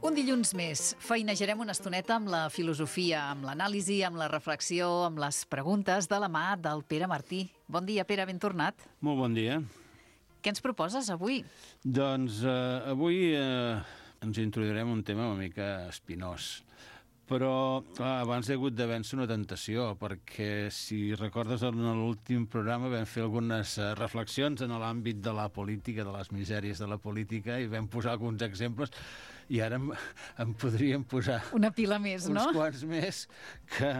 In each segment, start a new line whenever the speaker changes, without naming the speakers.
Un dilluns més. Feinejarem una estoneta amb la filosofia, amb l'anàlisi, amb la reflexió, amb les preguntes de la mà del Pere Martí. Bon dia, Pere, ben tornat.
Molt bon dia.
Què ens proposes avui?
Doncs avui ens introduirem un tema una mica espinós. Però abans he hagut de vèncer una tentació, perquè si recordes en l'últim programa vam fer algunes reflexions en l'àmbit de la política, de les misèries de la política, i vam posar alguns exemples, i ara em podríem posar
una pila més, no?
Uns quants més que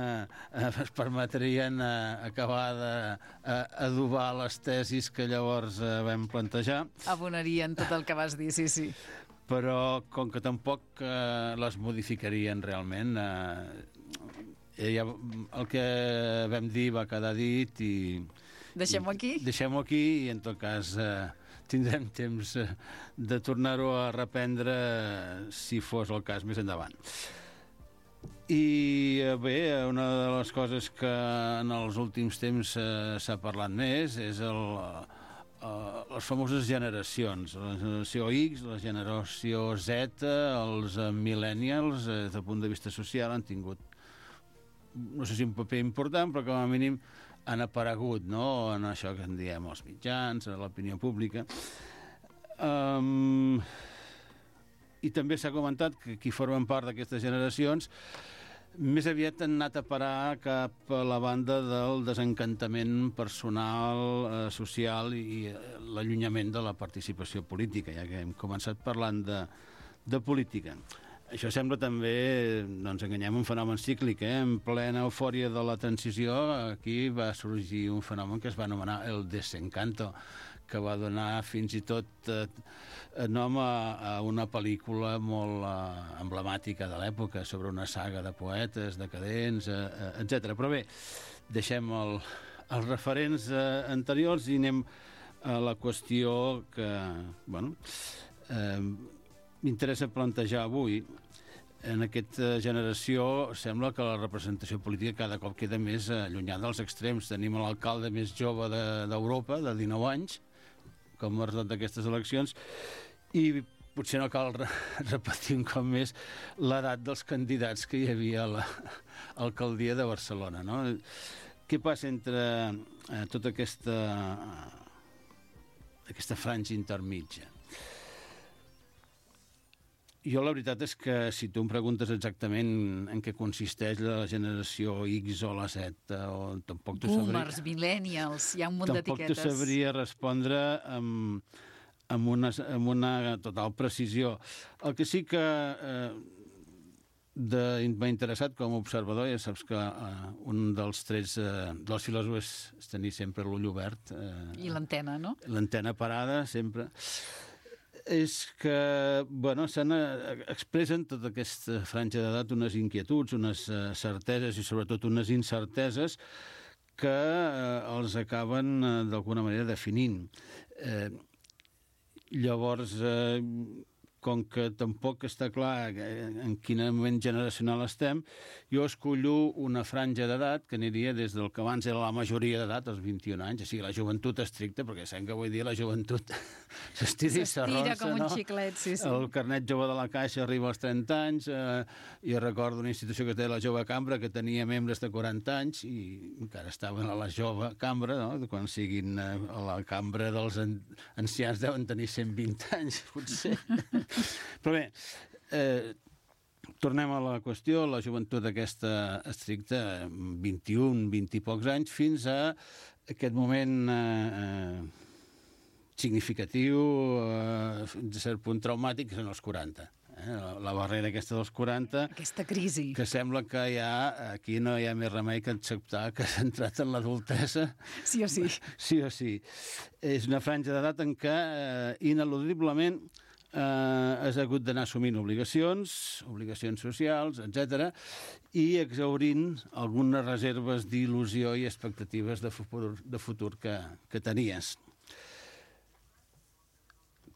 es permetrien acabar d'adobar les tesis que llavors vam plantejar.
Abonarien tot el que vas dir, sí.
Però com que tampoc les modificarien realment, el que vam dir va quedar dit i...
Deixem-ho aquí?
Deixem-ho aquí i en tot cas tindrem temps de tornar-ho a reprendre si fos el cas més endavant. I bé, una de les coses que en els últims temps s'ha parlat més és les famoses generacions, la generació X, la generació Z, els millennials, des del punt de vista social, han tingut, no sé si un paper important, però com a mínim han aparegut, no?, en això que en diem els mitjans, a l'opinió pública. I també s'ha comentat que qui formen part d'aquestes generacions més aviat han anat a parar cap a la banda del desencantament personal, social i l'allunyament de la participació política, ja que hem començat parlant de política. Això sembla també, no ens enganyem, un fenomen cíclic, En plena eufòria de la transició, aquí va sorgir un fenomen que es va anomenar el desencanto, que va donar fins i tot nom a una pel·lícula molt emblemàtica de l'època, sobre una saga de poetes decadents, etc. Però bé, deixem els referents anteriors i anem a la qüestió que, m'interessa plantejar avui. En aquesta generació sembla que la representació política cada cop queda més allunyada dels extrems. Tenim l'alcalde més jove d'Europa, de 19 anys, com a resultat d'aquestes eleccions, i potser no cal repetir un cop més l'edat dels candidats que hi havia a l'alcaldia de Barcelona, no? Què passa entre tota aquesta franja intermitja? Jo la veritat és que si tu em preguntes exactament en què consisteix la generació X o la Z, o tampoc t'ho sabria...
Boomers, millennials, hi ha un munt d'etiquetes.
Tampoc t'ho sabria respondre amb una total precisió. El que sí que m'ha interessat com a observador, ja saps que un dels trets dels filòsofs és tenir sempre l'ull obert.
I l'antena, no?
L'antena parada, sempre. És que, expressen tota aquesta franja d'edat unes inquietuds, unes certeses i sobretot unes incerteses que els acaben d'alguna manera definint. Llavors, com que tampoc està clar en quin moment generacional estem, jo escollo una franja d'edat que aniria des del que abans era la majoria d'edat, als 21 anys, o sigui, la joventut estricta, perquè sabem que avui dia la joventut s'estira i s'arronsa,
com un xiclet, sí.
El carnet jove de la Caixa arriba als 30 anys, i recordo una institució que es deia la Jove Cambra, que tenia membres de 40 anys, i encara estaven a la Jove Cambra, no? Quan siguin a la Cambra dels ancians deuen tenir 120 anys, potser. Però bé, tornem a la qüestió, la joventut aquesta estricta, 21, 20 i pocs anys, fins a aquest moment significatiu, fins a cert punt traumàtic, que són els 40. La barrera aquesta dels 40...
Aquesta crisi.
Que sembla que aquí no hi ha més remei que acceptar que s'ha entrat en l'adultesa.
Sí o sí.
Sí o sí. És una franja d'edat en què ineludiblement has hagut d'anar assumint obligacions socials, etc., i exhaurint algunes reserves d'il·lusió i expectatives de futur que tenies.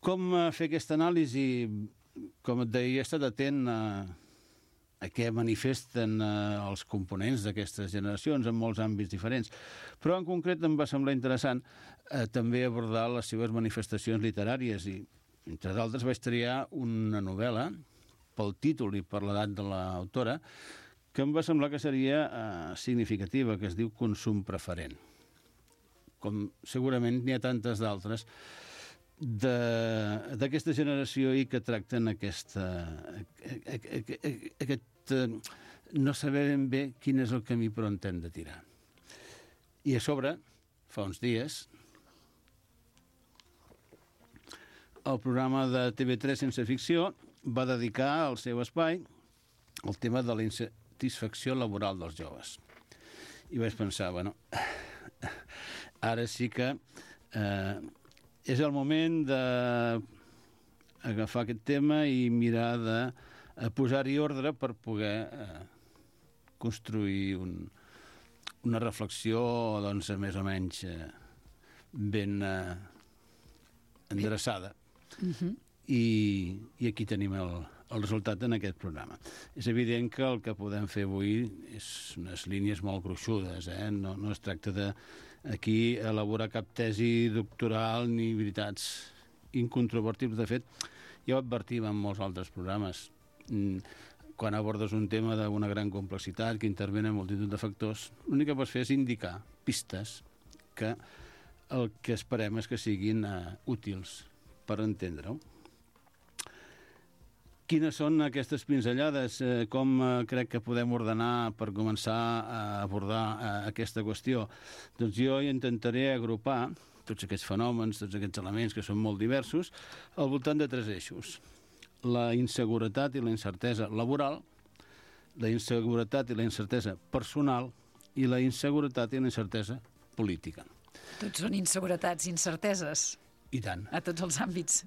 Com fer aquesta anàlisi? Com et deia, he estat atent a què manifesten els components d'aquestes generacions en molts àmbits diferents. Però en concret em va semblar interessant també abordar les seves manifestacions literàries i, entre d'altres, vaig triar una novel·la pel títol i per l'edat de l'autora, que em va semblar que seria significativa, que es diu Consum preferent. Com segurament n'hi ha tantes d'altres d'aquesta generació i que tracten aquest no saber ben bé quin és el camí per on hem de tirar. I a sobre, fa uns dies, el programa de TV3 Sense Ficció va dedicar el seu espai al tema de la insatisfacció laboral dels joves. I vaig pensar, bueno, ara sí que és el moment d'agafar aquest tema i mirar de posar-hi ordre per poder construir una reflexió doncs, més o menys ben endreçada. I aquí tenim el resultat en aquest programa. És evident que el que podem fer avui és unes línies molt gruixudes, no es tracta d'aquí elaborar cap tesi doctoral ni veritats incontrovertibles. De fet, ja ho advertim en molts altres programes. Quan abordes un tema d'una gran complexitat que intervenen multitud de factors, l'únic que pots fer és indicar pistes que el que esperem és que siguin útils per entendre-ho. Quines són aquestes pinzellades? Com crec que podem ordenar per començar a abordar aquesta qüestió? Doncs jo intentaré agrupar tots aquests fenòmens, tots aquests elements que són molt diversos, al voltant de 3 eixos. La inseguretat i la incertesa laboral, la inseguretat i la incertesa personal i la inseguretat i la incertesa política.
Tots són inseguretats, incerteses.
I tant.
A tots els àmbits.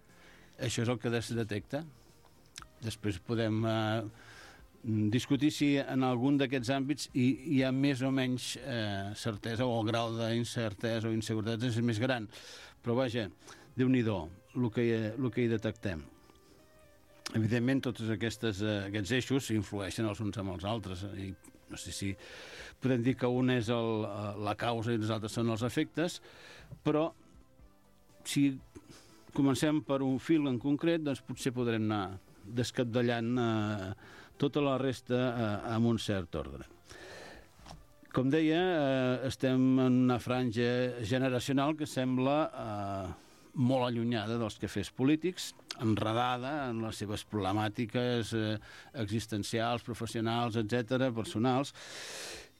Això és el que es detecta. Després podem discutir si en algun d'aquests àmbits hi ha més o menys certesa, o el grau d'incertesa o inseguretat és més gran. Però vaja, Déu-n'hi-do, el que hi detectem. Evidentment, tots aquests eixos influeixen els uns amb els altres. I no sé si podem dir que un és la causa i els altres són els efectes, però si comencem per un fil en concret, doncs potser podrem anar descapdallant tota la resta amb un cert ordre. Com deia, estem en una franja generacional que sembla molt allunyada dels quefers polítics, enredada en les seves problemàtiques existencials, professionals, etc., personals,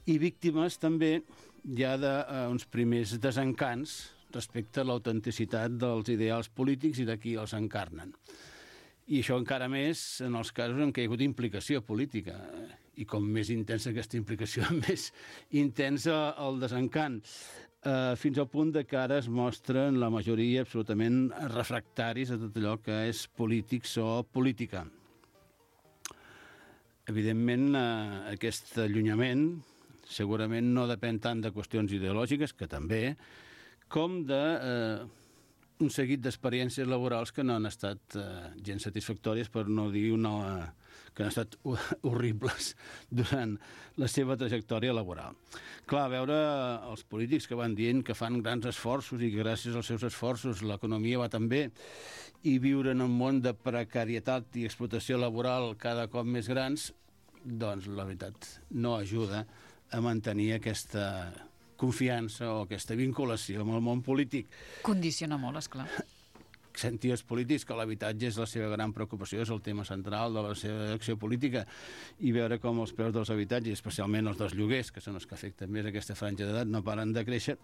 i víctimes també ja d'uns primers desencants respecte a l'autenticitat dels ideals polítics i de qui els encarnen. I això encara més en els casos en què hi ha hagut implicació política. I com més intensa aquesta implicació, més intensa el desencant. Fins al punt que ara es mostren la majoria absolutament refractaris a tot allò que és polítics o política. Evidentment, aquest allunyament segurament no depèn tant de qüestions ideològiques, que també, com d'un seguit d'experiències laborals que no han estat gens satisfactòries, per no dir que han estat horribles durant la seva trajectòria laboral. Clar, veure els polítics que van dient que fan grans esforços i que gràcies als seus esforços l'economia va tan bé, i viure en un món de precarietat i explotació laboral cada cop més grans, doncs la veritat no ajuda a mantenir aquesta confiança o aquesta vinculació amb el món polític.
Condiciona molt, esclar.
Sentir els polítics que l'habitatge és la seva gran preocupació, és el tema central de la seva acció política, i veure com els preus dels habitatges, especialment els dels lloguers, que són els que afecten més aquesta franja d'edat, no paren de créixer.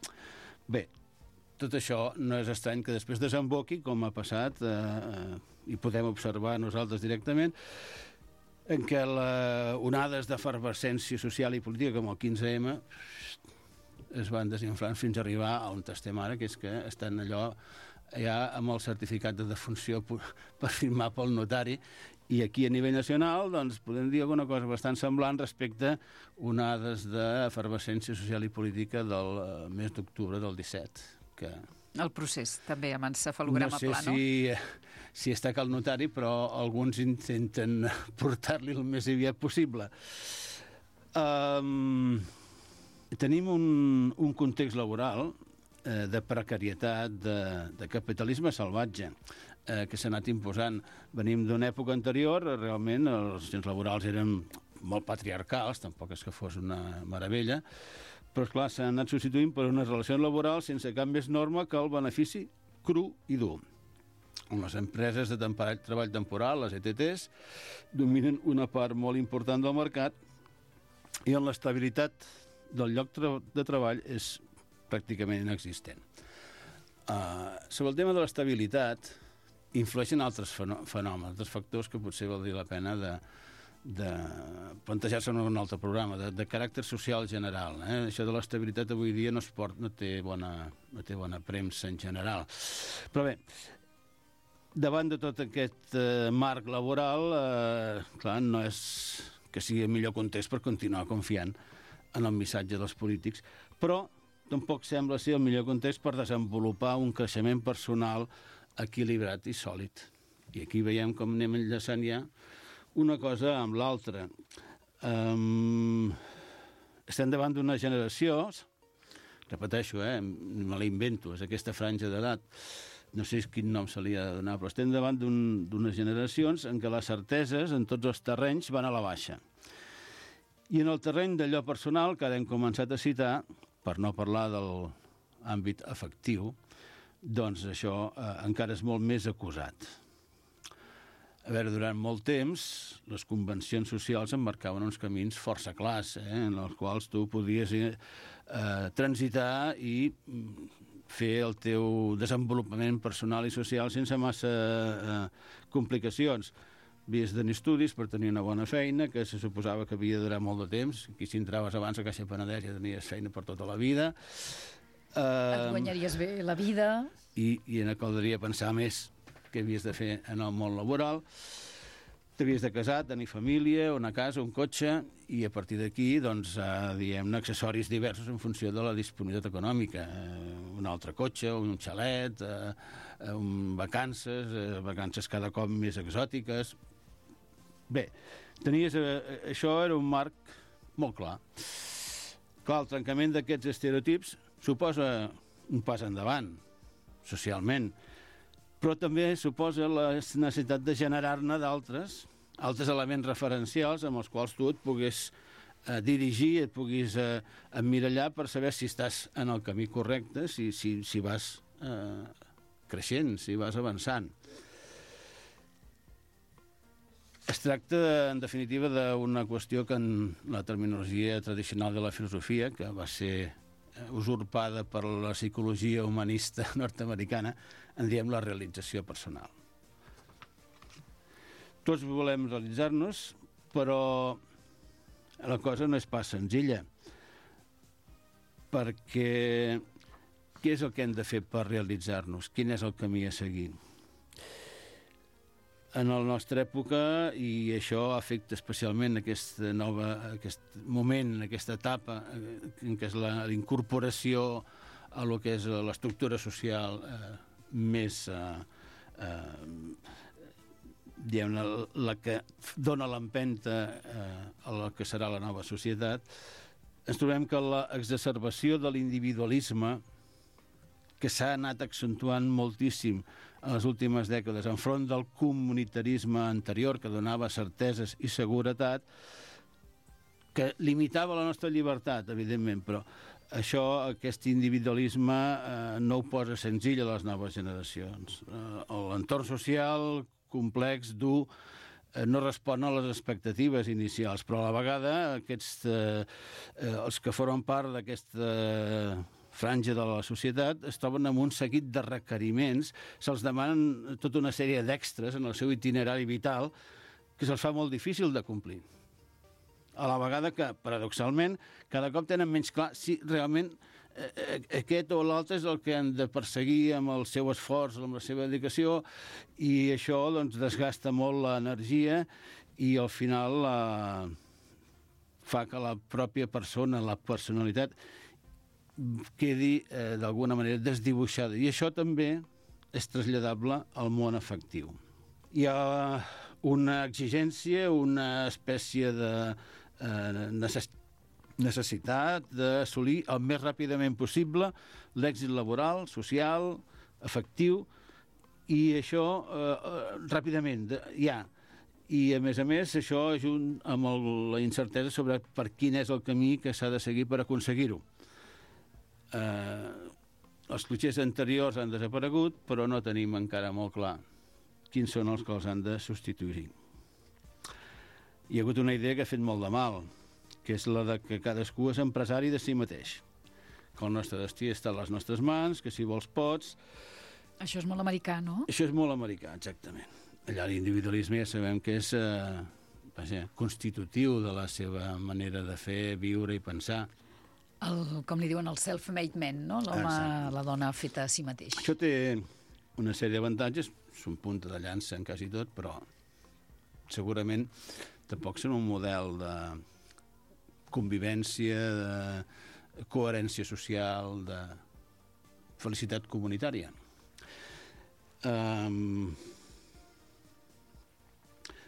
Bé, tot això no és estrany que després desemboqui, com ha passat, i podem observar nosaltres directament, en què onades d'efervescència social i política com el 15M es van desinflant fins a arribar a on estem ara, que és que estan allò ja amb el certificat de defunció per firmar pel notari, i aquí a nivell nacional doncs podem dir alguna cosa bastant semblant respecte a onades d'efervescència social i política del mes d'octubre del 17, que
el procés també amb encefalograma pla, no?
No sé si està que el notari, però alguns intenten portar-li el més aviat possible. Tenim un context laboral de precarietat, de capitalisme salvatge, que s'ha anat imposant. Venim d'una època anterior, realment les relacions laborals eren molt patriarcals, tampoc és que fos una meravella, però esclar, s'han anat substituint per unes relacions laborals sense cap més norma que el benefici cru i dur. Les empreses de treball temporal, les ETTs, dominen una part molt important del mercat i on l'estabilitat del lloc de treball és pràcticament inexistent. Sobre el tema de l'estabilitat, influeixen altres fenòmens, altres factors que potser valdria la pena de plantejar-se en un altre programa, de caràcter social general. Això de l'estabilitat avui dia no té bona premsa en general. Però bé, davant de tot aquest marc laboral, clar, no és que sigui el millor context per continuar confiant en el missatge dels polítics, però tampoc sembla ser el millor context per desenvolupar un creixement personal equilibrat i sòlid. I aquí veiem com anem enllaçant ja una cosa amb l'altra. Estem davant d'una generació, repeteixo, me la invento, és aquesta franja d'edat, no sé quin nom se li ha de donar, però estem davant d'unes generacions en què les certeses en tots els terrenys van a la baixa. I en el terreny d'allò personal, que ara hem començat a citar, per no parlar de l'àmbit afectiu, doncs això encara és molt més acusat. A veure, durant molt temps, les convencions socials emmarcaven uns camins força clars, en els quals tu podies transitar i fer el teu desenvolupament personal i social sense massa complicacions. Havies de tenir estudis per tenir una bona feina, que se suposava que havia de durar molt de temps. Aquí, si entraves abans a Caixa Penedès, ja tenies feina per tota la vida.
Et guanyaries bé la vida.
I no caldria pensar més que havies de fer en el món laboral. T'havies de casar, tenir família, una casa, un cotxe, i a partir d'aquí, doncs, diguem-ne, accessoris diversos en funció de la disponibilitat econòmica. Un altre cotxe, un xalet, vacances cada cop més exòtiques. Bé, això era un marc molt clar. Clar, el trencament d'aquests estereotips suposa un pas endavant, socialment, però també suposa la necessitat de generar-ne d'altres elements referencials amb els quals tu et puguis dirigir, et puguis emmirallar per saber si estàs en el camí correcte, si vas creixent, si vas avançant. Es tracta, en definitiva, d'una qüestió que en la terminologia tradicional de la filosofia, que va ser usurpada per la psicologia humanista nord-americana, en diem la realització personal. Tots volem realitzar-nos, però la cosa no és pas senzilla, perquè què és el que hem de fer per realitzar-nos? Quin és el camí a seguir? En la nostra època, i això afecta especialment aquest moment, aquesta etapa, que és la incorporació a lo que és l'estructura social més, diguem-ne, la que dona l'empenta a la que serà la nova societat, ens trobem que l'exacerbació de l'individualisme, que s'ha anat accentuant moltíssim en les últimes dècades enfront del comunitarisme anterior, que donava certeses i seguretat, que limitava la nostra llibertat, evidentment, però aquest individualisme no ho posa senzill a les noves generacions. L'entorn social complex, dur, no respon a les expectatives inicials, però a la vegada els que formen part d'aquesta franja de la societat es troben amb un seguit de requeriments, se'ls demanen tota una sèrie d'extres en el seu itinerari vital que se'ls fa molt difícil de complir. A la vegada que, paradoxalment, cada cop tenen menys clar si realment aquest o l'altre és el que han de perseguir amb el seu esforç, amb la seva dedicació, i això doncs, desgasta molt l'energia i al final fa que la pròpia persona, la personalitat, quedi d'alguna manera desdibuixada. I això també és traslladable al món afectiu. Hi ha una exigència, una espècie de necessitat d'assolir el més ràpidament possible l'èxit laboral, social, afectiu, I això, ràpidament, ja. I, a més, això junt amb la incertesa sobre per quin és el camí que s'ha de seguir per aconseguir-ho. Els clixés anteriors han desaparegut, però no tenim encara molt clar quins són els que els han de substituir. Hi ha hagut una idea que ha fet molt de mal, que és la de que cadascú és empresari de si mateix, que el nostre destí està a les nostres mans, que si vols pots...
Això és molt americà, no?
Això és molt americà, exactament. Allà l'individualisme ja sabem que és constitutiu de la seva manera de fer, viure i pensar.
Com li diuen, el self-made man, no? L'home, la dona feta a si mateix.
Això té una sèrie d'avantatges, són punta de llança en quasi tot, però segurament tampoc són un model de convivència, de coherència social, de felicitat comunitària.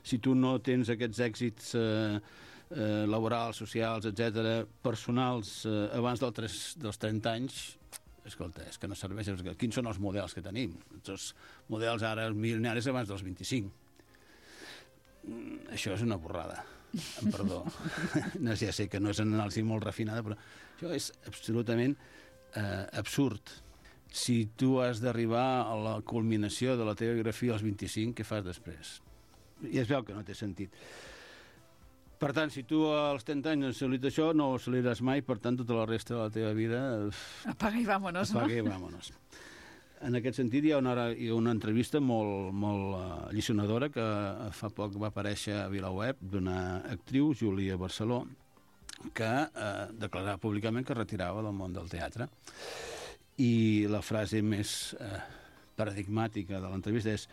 Si tu no tens aquests èxits laborals, socials, etc., personals, abans dels 30 anys, escolta, és que no serveix. Quins són els models que tenim? Els models ara milionaris abans dels 25. Això és una borrada. Perdó. No, ja sé que no és una anàlisi molt refinada, però això és absolutament absurd. Si tu has d'arribar a la culminació de la teva biografia als 25, què fas després? I es veu que no té sentit. Per tant, si tu als 30 anys has assolit això, no ho assoliràs mai, per tant, tota la resta de la teva vida...
Apaga i vámonos, no?
Apaga i vámonos. En aquest sentit, hi ha una entrevista molt alliçonadora que fa poc va aparèixer a VilaWeb d'una actriu, Júlia Barceló, que declarava públicament que es retirava del món del teatre. I la frase més paradigmàtica de l'entrevista és: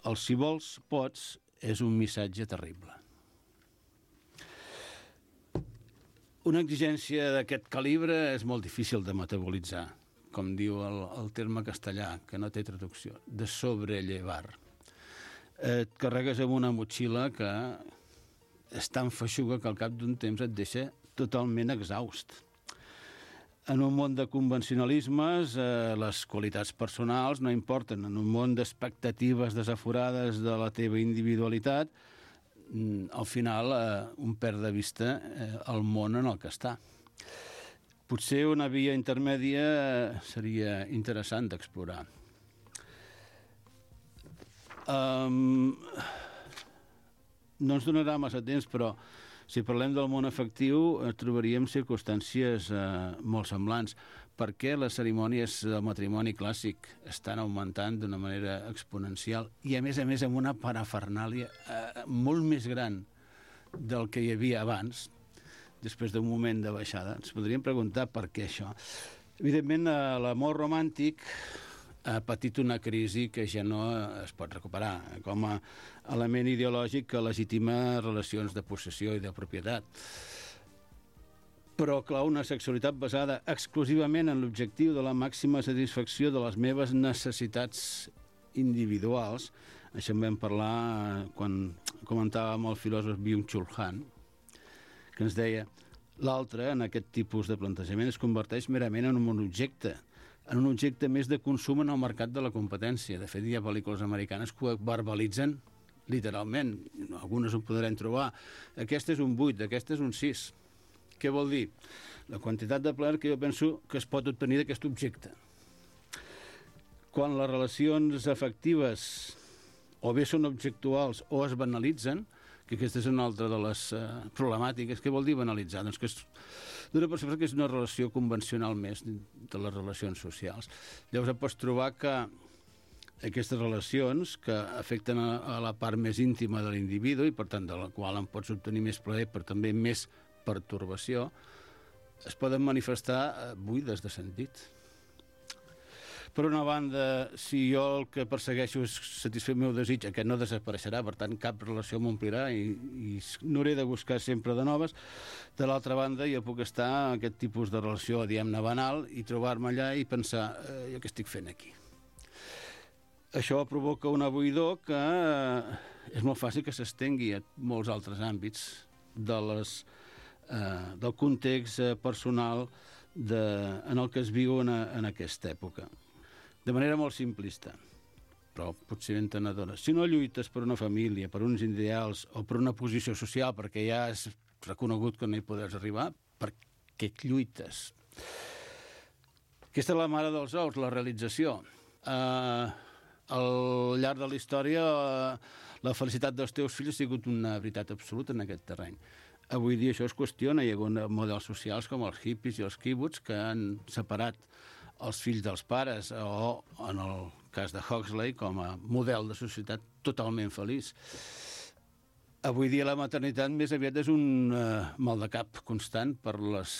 el si vols, pots, és un missatge terrible. Una exigència d'aquest calibre és molt difícil de metabolitzar, com diu el terme castellà, que no té traducció, de sobrellevar. Et carregues amb una motxilla que és tan feixuga que al cap d'un temps et deixa totalment exhaust. En un món de convencionalismes, les qualitats personals no importen. En un món d'expectatives desaforades de la teva individualitat, al final un perd de vista el món en el que està. Potser una via intermèdia seria interessant d'explorar. No ens donarà massa temps, però si parlem del món afectiu, trobaríem circumstàncies molt semblants. Per què les cerimònies del matrimoni clàssic estan augmentant d'una manera exponencial i, a més, amb una parafernàlia molt més gran del que hi havia abans, després d'un moment de baixada? Ens podríem preguntar per què això. Evidentment, l'amor romàntic ha patit una crisi que ja no es pot recuperar, com a element ideològic que legitima relacions de possessió i de propietat. Però, clar, una sexualitat basada exclusivament en l'objectiu de la màxima satisfacció de les meves necessitats individuals, això en vam parlar quan comentàvem el filòsof Byung-Chul Han, que ens deia: l'altre, en aquest tipus de plantejament, es converteix merament en un objecte més de consum en el mercat de la competència. De fet, hi ha pel·lícules americanes que ho verbalitzen literalment. Algunes ho podrem trobar. Aquest és un 8, aquest és un 6. Què vol dir? La quantitat de plaer que jo penso que es pot obtenir d'aquest objecte. Quan les relacions afectives o bé són objectuals o es banalitzen, que aquesta és una altra de les problemàtiques. Què vol dir banalitzar? Doncs que d'una persona que és una relació convencional més de les relacions socials. Llavors et pots trobar que aquestes relacions que afecten a la part més íntima de l'individu i per tant de la qual en pots obtenir més plaer però també més pertorbació, es poden manifestar buides de sentit. Per una banda, si jo el que persegueixo és satisfer el meu desig, aquest no desapareixerà, per tant cap relació m'omplirà i n'hauré de buscar sempre de noves. De l'altra banda, jo puc estar en aquest tipus de relació, diguem-ne, banal, i trobar-me allà i pensar, jo què estic fent aquí? Això provoca una buidor que és molt fàcil que s'estengui a molts altres àmbits del context personal en el que es viu en aquesta època. De manera molt simplista. però potser entenedora. Si no lluites per una família, per uns ideals o per una posició social, perquè ja és reconegut que no hi podràs arribar, per què lluites? Aquesta és la mare dels ous, la realització. Al llarg de la història, la felicitat dels teus fills ha sigut una veritat absoluta en aquest terreny. Avui dia això es qüestiona, hi ha hagut models socials com els hippies i els quibuts que han separat els fills dels pares, o en el cas de Huxley com a model de societat totalment feliç. Avui dia la maternitat més aviat és un mal de cap constant per les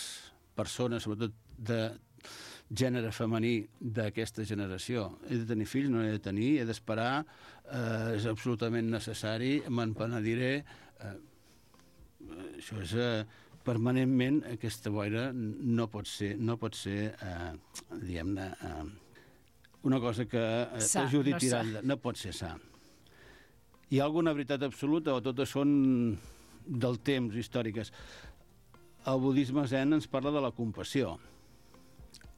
persones, sobretot de gènere femení d'aquesta generació. He de tenir fills, no he de tenir, he d'esperar, és absolutament necessari, me'n penediré. Això és permanentment, aquesta boira no pot ser diguem-ne, una cosa que t'ajudi a tirar endavant. No pot ser sa. Hi ha alguna veritat absoluta o totes són del temps, històriques? El budisme zen ens parla de la compassió.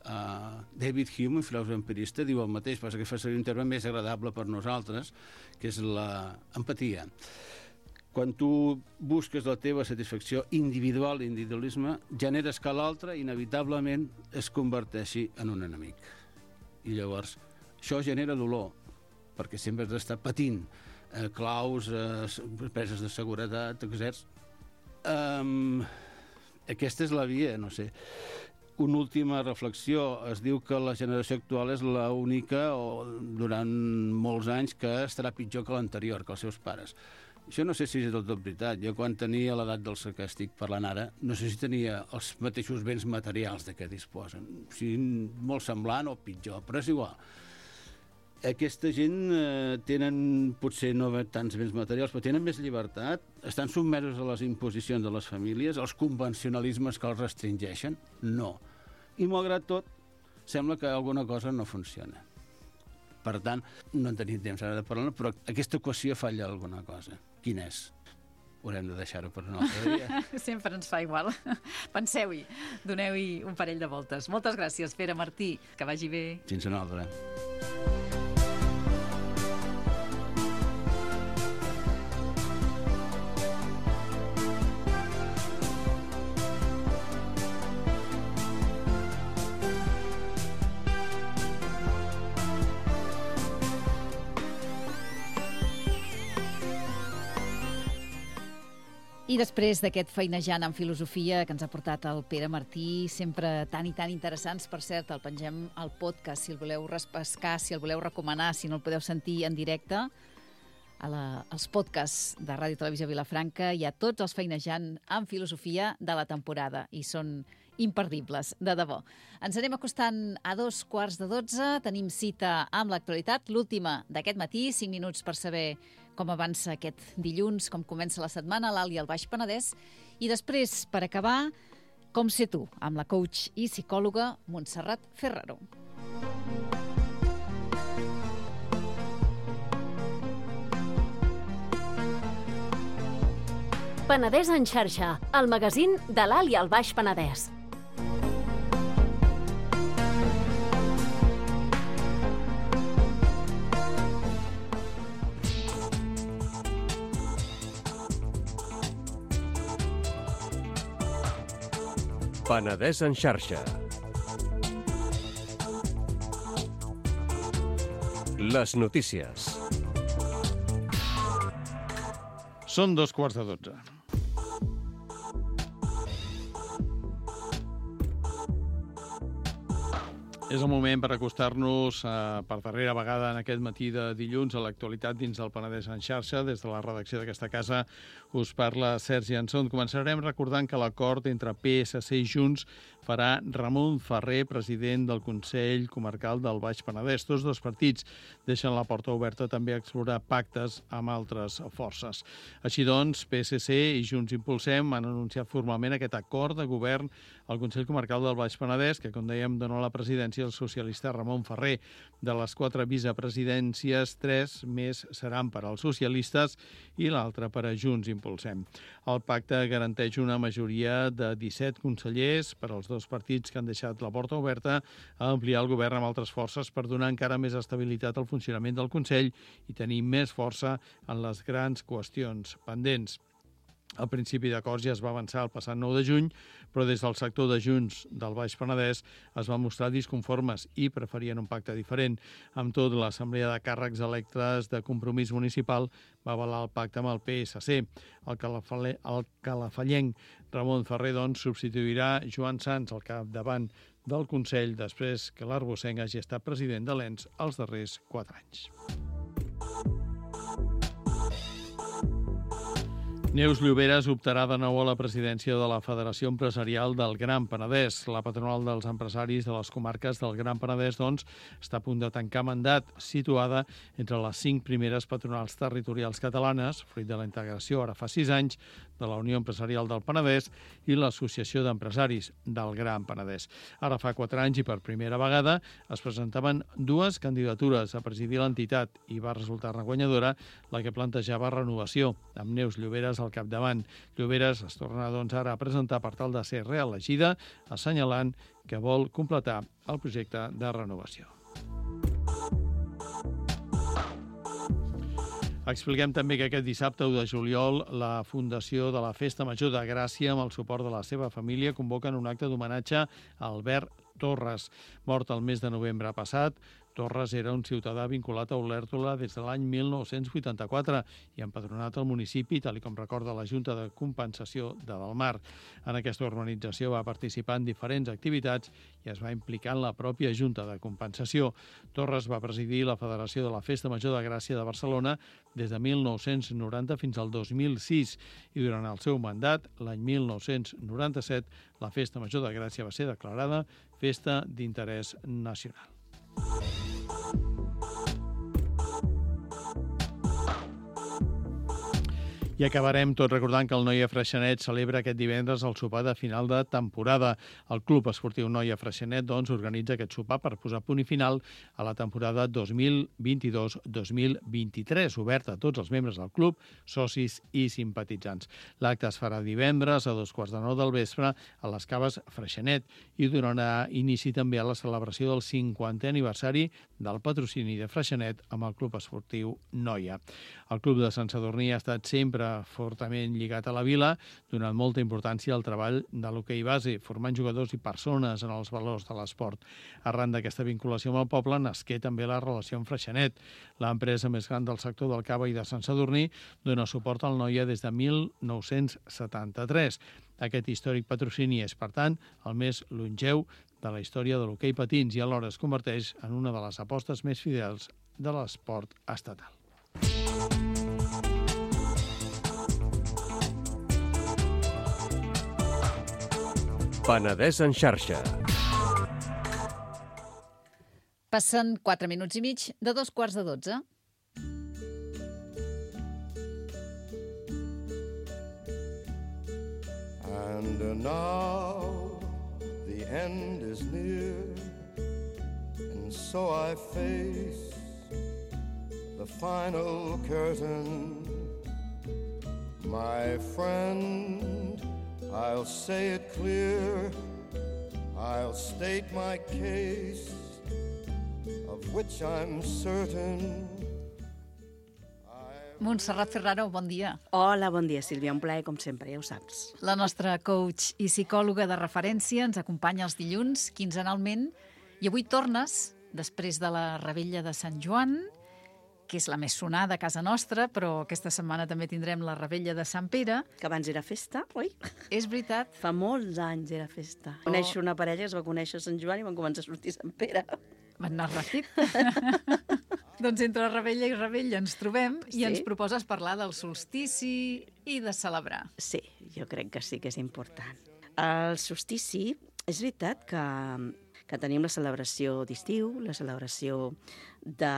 David Hume, un filòsof empirista, diu el mateix, passa que fa servir un terme més agradable per nosaltres, que és l'empatia. Quan tu busques la teva satisfacció individual, l'individualisme, generes que l'altre inevitablement es converteixi en un enemic. I llavors això genera dolor, perquè sempre has d'estar patint claus, preses de seguretat, etc. Aquesta és la via, no sé. Una última reflexió. Es diu que la generació actual és l'única, o durant molts anys, que estarà pitjor que l'anterior, que els seus pares. Això no sé si és del tot veritat. Jo, quan tenia l'edat dels que estic parlant ara, no sé si tenia els mateixos béns materials de què disposen. O sigui, molt semblant o pitjor, però és igual. Aquesta gent tenen, potser no tants béns materials, però tenen més llibertat, estan sotmesos a les imposicions de les famílies, als convencionalismes que els restringeixen? No. I malgrat tot, sembla que alguna cosa no funciona. Per tant, no en tenim temps ara de parlar, però aquesta equació falla alguna cosa. Quina és? Haurem de deixar-ho per un altre dia.
Sempre ens fa igual. Penseu-hi, doneu-hi un parell de voltes. Moltes gràcies, Pere Martí. Que vagi bé.
Fins una altra.
I després d'aquest feinejant en filosofia que ens ha portat el Pere Martí, sempre tan i tan interessants, per cert, el pengem al podcast, si el voleu repescar, si el voleu recomanar, si no el podeu sentir en directe, als podcasts de Ràdio Televisió Vilafranca hi ha tots els feinejant en filosofia de la temporada i són imperdibles, de debò. Ens anem acostant a 11:45, tenim cita amb l'actualitat, l'última d'aquest matí, 5 minuts per saber com avança aquest dilluns, com comença la setmana a l'Alt i al Baix Penedès, i després, per acabar, Com ser tu, amb la coach i psicòloga Montserrat Ferraro.
Penedès en xarxa, el magazín de l'Alt i el Baix Penedès.
Penedès en xarxa. Les notícies.
Són 11:45. És el moment per acostar-nos per darrera vegada en aquest matí de dilluns a l'actualitat dins del Penedès en xarxa. Des de la redacció d'aquesta casa us parla Sergi Anson. Començarem recordant que l'acord entre PSC i Junts farà Ramon Ferrer, president del Consell Comarcal del Baix Penedès. Tots dos partits deixen la porta oberta també a explorar pactes amb altres forces. Així doncs, PSC i Junts Impulsem han anunciat formalment aquest acord de govern al Consell Comarcal del Baix Penedès, que, com dèiem, dona la presidència al socialista Ramon Ferrer. De les 4 vicepresidències, 3 més seran per als socialistes i l'altra per a Junts Impulsem. El pacte garanteix una majoria de 17 consellers per als dos partits que han deixat la porta oberta a ampliar el govern amb altres forces per donar encara més estabilitat al funcionament del Consell i tenir més força en les grans qüestions pendents. El principi d'acords ja es va avançar el passat 9 de juny, però des del sector de Junts del Baix Penedès es van mostrar disconformes i preferien un pacte diferent. Amb tot, l'Assemblea de Càrrecs Electes de Compromís Municipal va avalar el pacte amb el PSC. El calafallenc Ramon Ferrer, doncs, substituirà Joan Sans al capdavant del Consell després que l'Arbocenc hagi estat president de l'ENS els darrers 4 anys. Neus Lloberes optarà de nou a la presidència de la Federació Empresarial del Gran Penedès. La patronal dels empresaris de les comarques del Gran Penedès, doncs, està a punt de tancar mandat, situada entre les 5 primeres patronals territorials catalanes, fruit de la integració ara fa 6 anys de la Unió Empresarial del Penedès i l'Associació d'Empresaris del Gran Penedès. Ara fa 4 anys i per primera vegada es presentaven 2 candidatures a presidir l'entitat i va resultar-ne guanyadora la que plantejava Renovació, amb Neus Lloberes al capdavant. Lloberes es torna, doncs, ara a presentar per tal de ser reelegida, assenyalant que vol completar el projecte de renovació. Expliquem també que aquest dissabte 1 de juliol la Fundació de la Festa Major de Gràcia, amb el suport de la seva família, convoquen un acte d'homenatge a Albert Torres, mort el mes de novembre passat. Torres era un ciutadà vinculat a Olèrdola des de l'any 1984 i empadronat al municipi, tal com recorda la Junta de Compensació de Delmar. En aquesta organització va participar en diferents activitats i es va implicar en la pròpia Junta de Compensació. Torres va presidir la Federació de la Festa Major de Gràcia de Barcelona des de 1990 fins al 2006 i durant el seu mandat, l'any 1997, la Festa Major de Gràcia va ser declarada Festa d'Interès Nacional. I acabarem tot recordant que el Noia Freixenet celebra aquest divendres el sopar de final de temporada. El Club Esportiu Noia Freixenet, doncs, organitza aquest sopar per posar punt i final a la temporada 2022-2023, obert a tots els membres del club, socis i simpatitzants. L'acte es farà divendres a 8:15 del vespre a les Caves Freixenet i donarà inici també a la celebració del 50è aniversari del patrocini de Freixenet amb el Club Esportiu Noia. El Club de Sant Sadurní ha estat sempre fortament lligat a la vila, donant molta importància al treball de l'hoquei base, formant jugadors i persones en els valors de l'esport. Arran d'aquesta vinculació amb el poble nasqué també la relació amb Freixenet. L'empresa més gran del sector del cava i de Sant Sadurní dona suport al Noia des de 1973. Aquest històric patrocini és, per tant, el més longeu de la història de l'hoquei patins i alhora es converteix en una de les apostes més fidels de l'esport estatal.
Penedès en xarxa.
Passen 4 minuts i mig de 11:15.
And now the end is near, and so I face the final curtain. My friend, I'll say it clear, I'll state my case, of which I'm certain.
Montserrat Ferraro, bon dia.
Hola, bon dia, Sílvia. Un plaer, com sempre, ja ho saps.
La nostra coach i psicòloga de referència ens acompanya els dilluns, quinzenalment, i avui tornes, després de la Revetlla de Sant Joan, que és la més sonada a casa nostra, però aquesta setmana també tindrem la Revetlla de Sant Pere.
Que abans era festa, oi?
És veritat.
Fa molts anys era festa. Coneixo una parella que es va conèixer a Sant Joan i van començar a sortir a Sant Pere.
Van anar ràpid. Doncs entre Revetlla i Revetlla ens trobem i ens proposes parlar del solstici i de celebrar.
Sí, jo crec que sí que és important. El solstici, és veritat que tenim la celebració d'estiu, la celebració de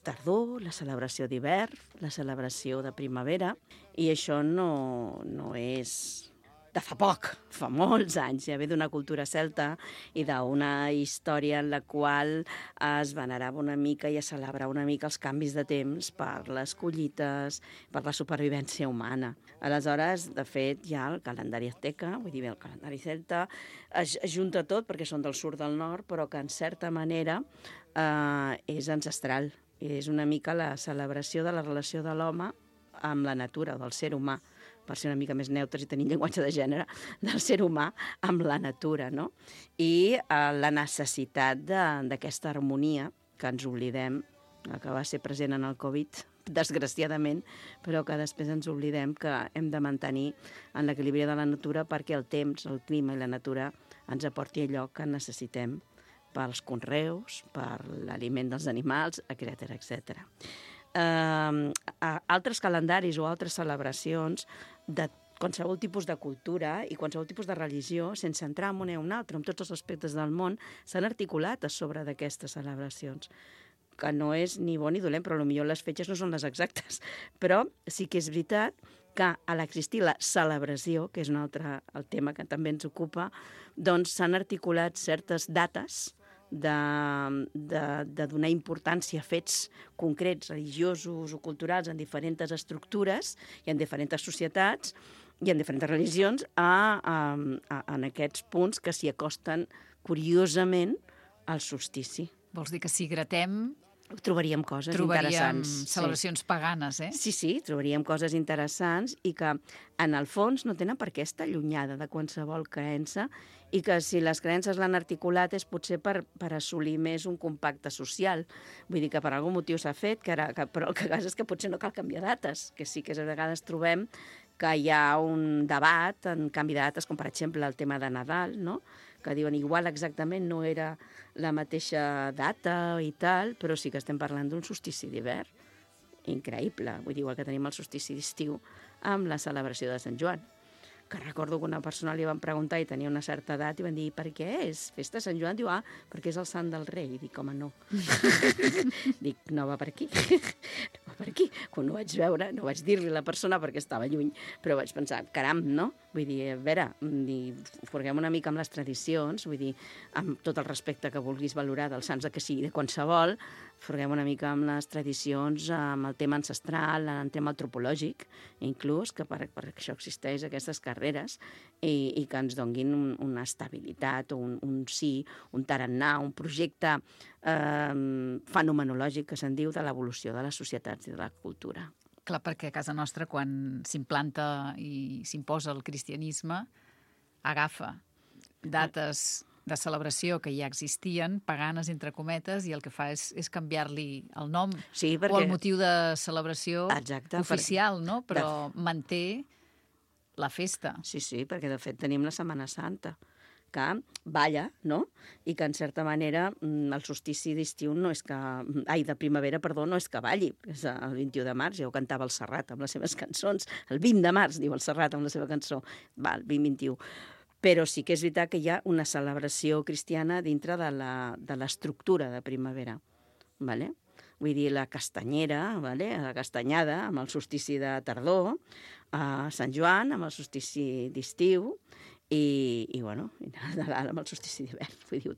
tardor, la celebració d'hivern, la celebració de primavera, i això no és de fa poc, fa molts anys, ja ve d'una cultura celta i d'una història en la qual es venerava una mica i es celebrava una mica els canvis de temps per les collites, per la supervivència humana. Aleshores, de fet, hi ha el calendari azteca, vull dir, el calendari celta, es junta tot perquè són del sud del nord, però que en certa manera és ancestral. És una mica la celebració de la relació de l'home amb la natura, del ser humà, per ser una mica més neutres i tenir llenguatge de gènere, del ser humà amb la natura, no? I la necessitat d'aquesta harmonia que ens oblidem, que va ser present en el Covid, desgraciadament, però que després ens oblidem que hem de mantenir en l'equilibri de la natura perquè el temps, el clima i la natura ens aporti allò que necessitem pels conreus, per l'aliment dels animals, etc. Altres calendaris o altres celebracions de qualsevol tipus de cultura i qualsevol tipus de religió, sense entrar en una o una altra, en tots els aspectes del món, s'han articulat a sobre d'aquestes celebracions, que no és ni bo ni dolent, però potser les fetges no són les exactes. Però sí que és veritat que a l'existir la celebració, que és un altre el tema que també ens ocupa, doncs s'han articulat certes dates de donar importància a fets concrets, religiosos o culturals en diferents estructures i en diferents societats i en diferents religions en aquests punts que s'hi acosten curiosament al solstici.
Vols dir que si gratem
trobaríem coses interessants.
Trobaríem celebracions paganes, eh?
Sí, trobaríem coses interessants i que, en el fons, no tenen per què estar allunyada de qualsevol creença i que si les creences l'han articulat és potser per assolir més un compacte social. Vull dir que per algun motiu s'ha fet, però el que passa és que potser no cal canviar dates, que sí que a vegades trobem que hi ha un debat en canvi de dates, com per exemple el tema de Nadal, no?, que diuen igual exactament no era la mateixa data i tal, però sí que estem parlant d'un solstici d'hivern. Increïble. Vull dir, igual que tenim el solstici d'estiu amb la celebració de Sant Joan, que recordo que una persona li van preguntar i tenia una certa edat i van dir, per què és festa de Sant Joan? Diu, perquè és el sant del rei. I dic, home, no. Dic, no va per aquí. No va per aquí. Quan ho vaig veure, no vaig dir-li a la persona perquè estava lluny, però vaig pensar, caram, no? Vull dir, a veure, forguem una mica amb les tradicions, vull dir, amb tot el respecte que vulguis valorar dels sants de que sigui, de qualsevol, forguem una mica amb les tradicions, amb el tema ancestral, en el tema antropològic, inclús, que per això existeix aquestes carreres, i que ens donguin una estabilitat, o un sí, un tarannà, un projecte fenomenològic, que se'n diu, de l'evolució de les societats i de la cultura.
Clar, perquè a casa nostra, quan s'implanta i s'imposa el cristianisme, agafa dates de celebració que ja existien, paganes, entre cometes, i el que fa és canviar-li el nom o el motiu de celebració oficial, no? Però manté la festa.
Sí, perquè de fet tenim la Setmana Santa, que balla, no? I que en certa manera el solstici d'estiu no és que... de primavera, perdó, no és que balli. És el 21 de març, ja ho cantava el Serrat amb les seves cançons. El 20 de març, diu el Serrat amb la seva cançó. Va, el 20-21. Però sí que és veritat que hi ha una celebració cristiana dintre de l'estructura de primavera. Vale? Vull dir, la castanyera, vale? La castanyada, amb el solstici de tardor, a Sant Joan, amb el solstici d'estiu, i Nadal amb el solstici d'hivern. Vull dir,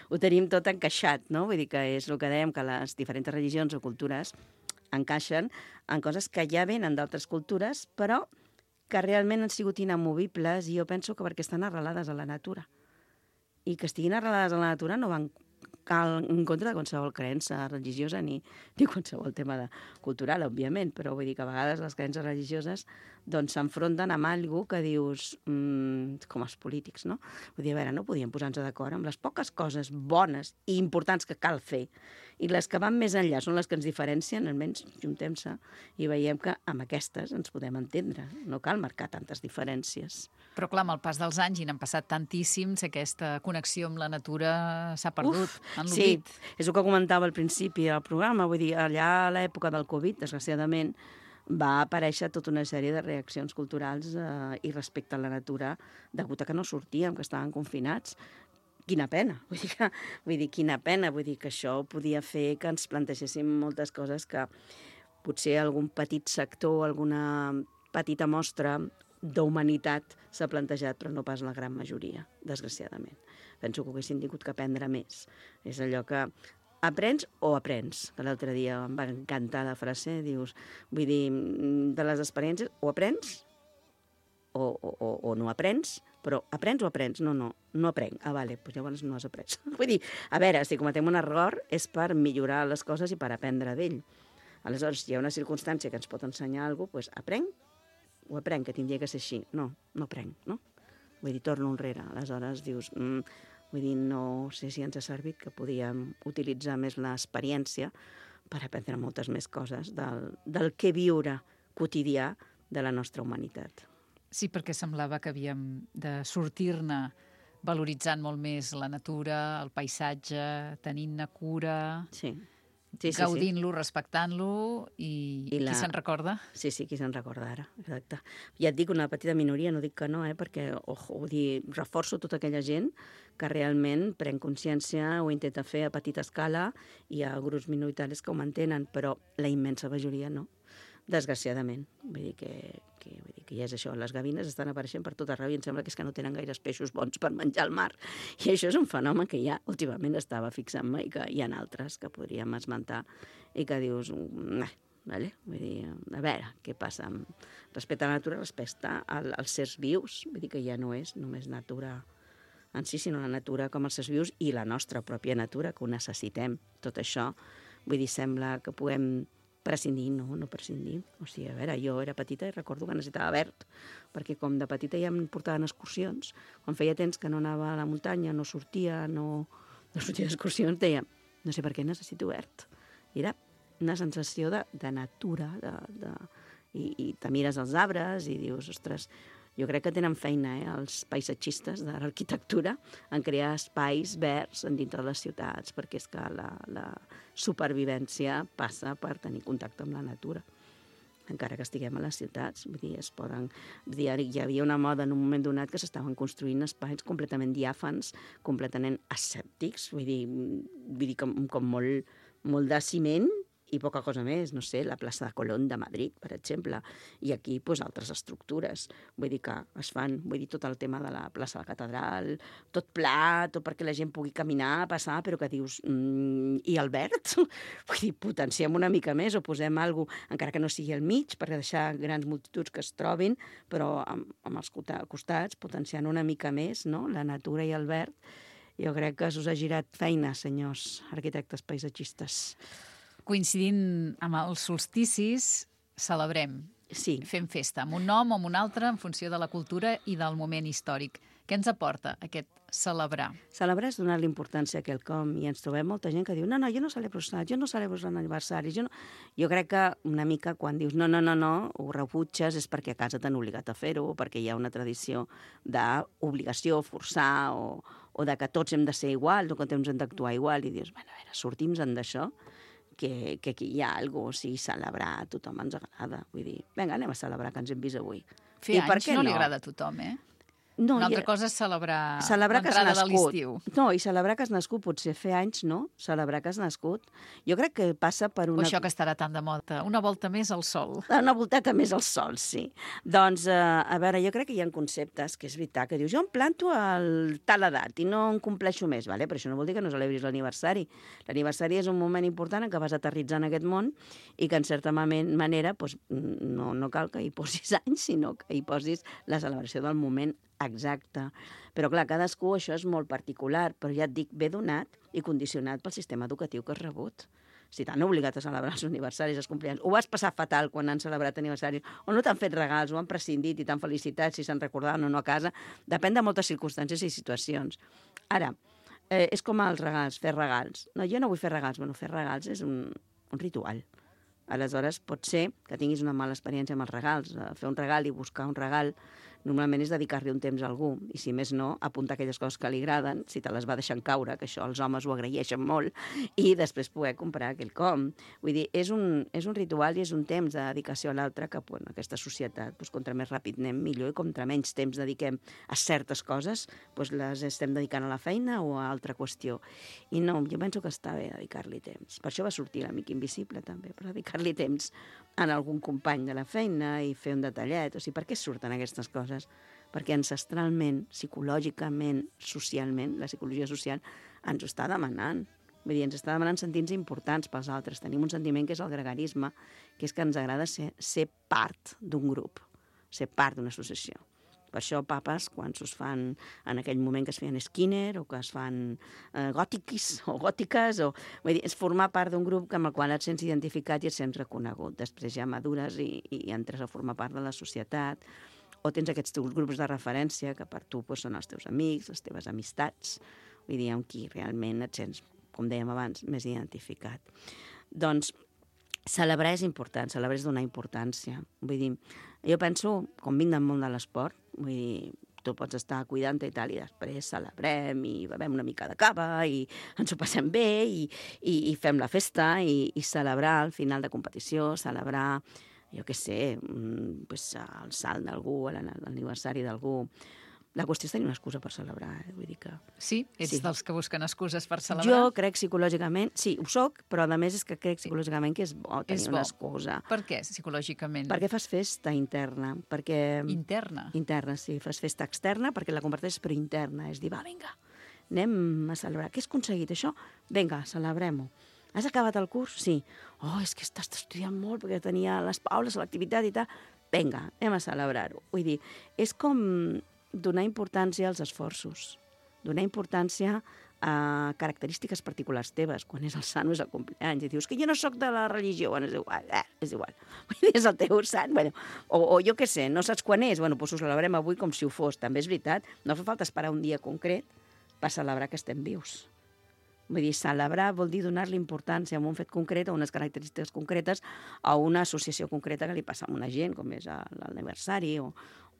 ho tenim tot encaixat, no? Vull dir que és el que dèiem, que les diferents religions o cultures encaixen en coses que ja venen d'altres cultures, però que realment han sigut inamovibles, i jo penso que perquè estan arrelades a la natura. I que estiguin arrelades a la natura no van en contra de qualsevol creença religiosa ni qualsevol tema cultural, òbviament, però vull dir que a vegades les creences religioses doncs s'enfronten amb alguna que dius, com els polítics, no? Vull dir, a veure, no podíem posar-nos d'acord amb les poques coses bones i importants que cal fer, i les que van més enllà són les que ens diferencien, almenys juntem-se i veiem que amb aquestes ens podem entendre. No cal marcar tantes diferències.
Però clar, amb el pas dels anys, i n'han passat tantíssims, aquesta connexió amb la natura s'ha perdut, en l'oblit.
Sí, és el que comentava al principi del programa. Vull dir, allà a l'època del Covid, desgraciadament, va aparèixer tota una sèrie de reaccions culturals i respecte a la natura, degut a que no sortíem, que estàvem confinats. Quina pena, vull dir, quina pena, vull dir que això podia fer que ens plantegéssim moltes coses que potser algun petit sector, alguna petita mostra d'humanitat s'ha plantejat, però no pas la gran majoria, desgraciadament. Penso que ho haguessin tingut que aprendre més. És allò que aprens o aprens, que l'altre dia em va encantar la frase, dius, vull dir, de les experiències, o aprens o no aprens, però aprens o aprens? No aprenc. Ah, vale, doncs llavors no has après. Vull dir, a veure, si cometem un error és per millorar les coses i per aprendre d'ell. Aleshores, si hi ha una circumstància que ens pot ensenyar alguna cosa, doncs aprenc o aprenc, que tindria que ser així. No aprenc, no? Vull dir, torno enrere. Aleshores dius, vull dir, no sé si ens ha servit, que podíem utilitzar més l'experiència per aprendre moltes més coses del que viure quotidià de la nostra humanitat.
Sí, perquè semblava que havíem de sortir-ne valoritzant molt més la natura, el paisatge, tenint-ne cura,
Sí.
gaudint-lo, respectant-lo, i qui se'n recorda?
Sí, qui se'n recorda ara, exacte. Ja et dic, una petita minoria, no dic que no, perquè, vull dir, reforço tota aquella gent que realment pren consciència, ho intenta fer a petita escala, i hi ha grups minoritaris que ho mantenen, però la immensa majoria no, desgraciadament. Vull dir que ja és això, les gavines estan apareixent per tot arreu i em sembla que és que no tenen gaires peixos bons per menjar al mar. I això és un fenomen que ja últimament estava fixant-me i que hi ha altres que podríem esmentar i que dius, vale? Vull dir, a veure, què passa? Respecte a la natura, respecte als sers vius, vull dir que ja no és només natura en si, sinó la natura com els sers vius i la nostra pròpia natura, que ho necessitem. Tot això, vull dir, sembla que puguem prescindir, no prescindir. O sigui, a veure, jo era petita i recordo que necessitava verd, perquè com de petita ja em portaven excursions, quan feia temps que no anava a la muntanya, no sortia d'excursions, deia, no sé per què necessito verd. I era una sensació de natura, i te mires els arbres i dius, ostres, jo crec que tenen feina, els paisatgistes de l'arquitectura, en crear espais verds dintre de les ciutats, perquè és que la supervivència passa per tenir contacte amb la natura, encara que estiguem a les ciutats. Vull dir, hi havia una moda en un moment donat que s'estaven construint espais completament diàfans, completament asèptics, vull dir com molt de ciment, i poca cosa més, no sé, la plaça de Colón de Madrid, per exemple, i aquí altres estructures, vull dir que es fan, vull dir, tot el tema de la plaça de la Catedral, tot pla, tot perquè la gent pugui caminar, passar, però que dius, i el verd? Vull dir, potenciem una mica més o posem alguna cosa, encara que no sigui al mig, per deixar grans multituds que es trobin, però amb els costats, potenciant una mica més, no?, la natura i el verd. Jo crec que us ha girat feina, senyors arquitectes paisatgistes.
Coincidint amb els solsticis, celebrem.
Sí.
Fem festa, amb un nom o amb un altre, en funció de la cultura i del moment històric. Què ens aporta aquest celebrar?
Celebrar és donar-li importància a quelcom, i ens trobem molta gent que diu, no, jo no celebro els nats, jo no celebro els aniversaris. Jo crec que una mica quan dius no, ho rebutges, és perquè a casa t'han obligat a fer-ho, o perquè hi ha una tradició d'obligació, forçar, o de que tots hem de ser iguals, o que tots hem d'actuar igual, i dius, bueno, a veure, sortim-se'n d'això, que aquí hi ha alguna cosa, o sigui, celebrar a tothom ens agrada. Vull dir, vinga, anem a celebrar que ens hem vist avui.
Fer anys no li agrada a tothom,
No,
una altra cosa és celebrar l'entrada de l'estiu.
No, i celebrar que has nascut, potser fer anys, no? Celebrar que has nascut. Jo crec que passa per una...
O això que estarà tan de moda, una volta més al sol.
Una volteta més al sol, sí. Doncs, a veure, jo crec que hi ha conceptes que és veritat, que dius, jo em planto a tal edat i no en compleixo més, vale? Però això no vol dir que no celebris l'aniversari. L'aniversari és un moment important en què vas aterritzar en aquest món i que, en certa manera, doncs, no cal que hi posis anys, sinó que hi posis la celebració del moment exacte. Però, clar, cadascú això és molt particular, però ja et dic, ve donat i condicionat pel sistema educatiu que has rebut. Si t'han obligat a celebrar els aniversaris, els compleanys, ho vas passar fatal quan han celebrat aniversaris, o no t'han fet regals, o han prescindit i t'han felicitat si se'n recordaven o no a casa, depèn de moltes circumstàncies i situacions. Ara, és com els regals, fer regals. No, jo no vull fer regals. Bueno, fer regals és un ritual. Aleshores, pot ser que tinguis una mala experiència amb els regals. Fer un regal i buscar un regal normalment és dedicar-li un temps a algú, i si més no, apuntar aquelles coses que li agraden, si te les va deixant caure, que això els homes ho agraeixen molt, i després poder comprar aquell com. Vull dir, és un ritual i és un temps de dedicació a l'altre que, bueno, aquesta societat, doncs, contra més ràpid anem millor i contra menys temps dediquem a certes coses, doncs les estem dedicant a la feina o a altra qüestió. I no, jo penso que està bé dedicar-li temps. Per això va sortir l'Amic Invisible, també, per dedicar-li temps a algun company de la feina i fer un detallet. O sigui, per què surten aquestes coses? Perquè ancestralment, psicològicament, socialment, la psicologia social ens ho està demanant. Vull dir, ens està demanant sentir-nos importants pels altres. Tenim un sentiment que és el gregarisme, que és que ens agrada ser part d'un grup, ser part d'una associació. Per això papes, quan s'us fan en aquell moment que es feien Skinner o que es fan gòtiques, vull dir, és formar part d'un grup amb el qual et sents identificat i et sents reconegut. Després ja madures i entres a formar part de la societat, o tens aquests teus grups de referència que per tu doncs, són els teus amics, les teves amistats, vull dir, amb qui realment et sents, com dèiem abans, més identificat. Doncs celebrar és important, celebrar és donar importància. Vull dir, jo penso, com vinc del món de l'esport, vull dir, tu pots estar cuidant-te i tal, i després celebrem i bevem una mica de cava i ens ho passem bé i fem la festa i celebrar el final de competició, celebrar, jo què sé, pues, el salt d'algú, l'aniversari d'algú. La qüestió és tenir una excusa per celebrar, vull dir que...
Sí? Ets dels que busquen excuses per celebrar?
Jo crec psicològicament, sí, ho soc, però a més és que crec psicològicament que és bo tenir una excusa.
Per què, psicològicament?
Perquè fas festa interna, perquè...
Interna?
Interna, sí, fas festa externa perquè la converteixes però interna, és dir, va, vinga, anem a celebrar. Què has aconseguit, això? Vinga, celebrem-ho. Has acabat el curs? Sí. Oh, és que estàs estudiant molt perquè tenia les paules, l'activitat i tal. Vinga, anem a celebrar-ho. Vull dir, és com donar importància als esforços, donar importància a característiques particulars teves, quan és el sant o és el compleany, i dius que jo no sóc de la religió, bueno, és igual, és el teu sant, bueno, o jo què sé, no saps quan és, bueno, doncs ho celebrem avui com si ho fos, també és veritat, no fa falta esperar un dia concret per celebrar que estem vius. Vull dir, celebrar vol dir donar-li importància a un fet concret, a unes característiques concretes, a una associació concreta que li passa a una gent, com és l'aniversari o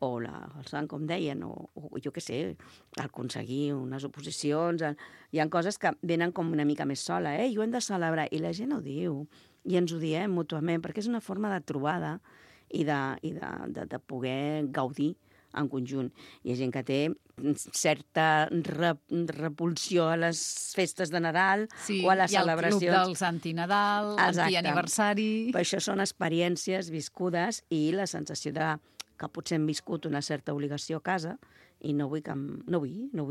el sant, com deien, o jo què sé, aconseguir unes oposicions. Hi ha coses que venen com una mica més sola, i ho hem de celebrar, i la gent ho diu, i ens ho diem mútuament, perquè és una forma de trobada i de poder gaudir en conjunt. Hi ha gent que té certa repulsió a les festes de Nadal o a les celebracions.
Sí, i el club dels anti-Nadal, anti-aniversari...
Per això són experiències viscudes i la sensació de que potser hem viscut una certa obligació a casa i no vull